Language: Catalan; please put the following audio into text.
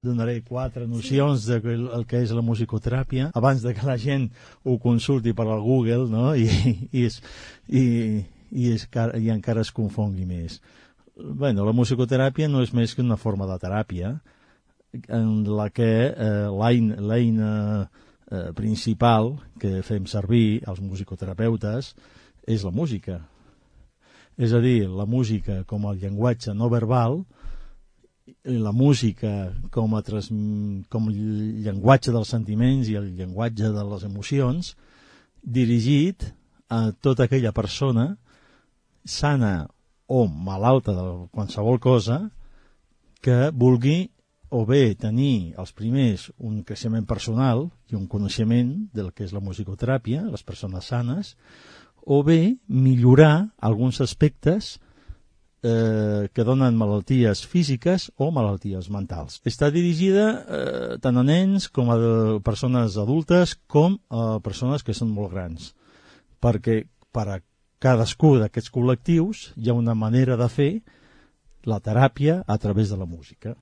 Donaré 4 nocions de el que és la musicoteràpia abans de que la gent ho consulti per al Google, no? I encara es confongui més. Bueno, la musicoteràpia no és més que una forma de teràpia en la que l'eina principal que fem servir els musicoterapeutes és la música. És a dir, la música com el llenguatge no verbal, la música com el llenguatge dels sentiments i el llenguatge de les emocions, dirigit a tota aquella persona sana o malalta de qualsevol cosa que vulgui o bé tenir els primers un creixement personal i un coneixement del que és la musicoteràpia, les persones sanes, o bé millorar alguns aspectes que donen malalties físiques o malalties mentals. Està dirigida tant a nens com a persones adultes com a persones que són molt grans, perquè per a cadascú d'aquests col·lectius hi ha una manera de fer la teràpia a través de la música.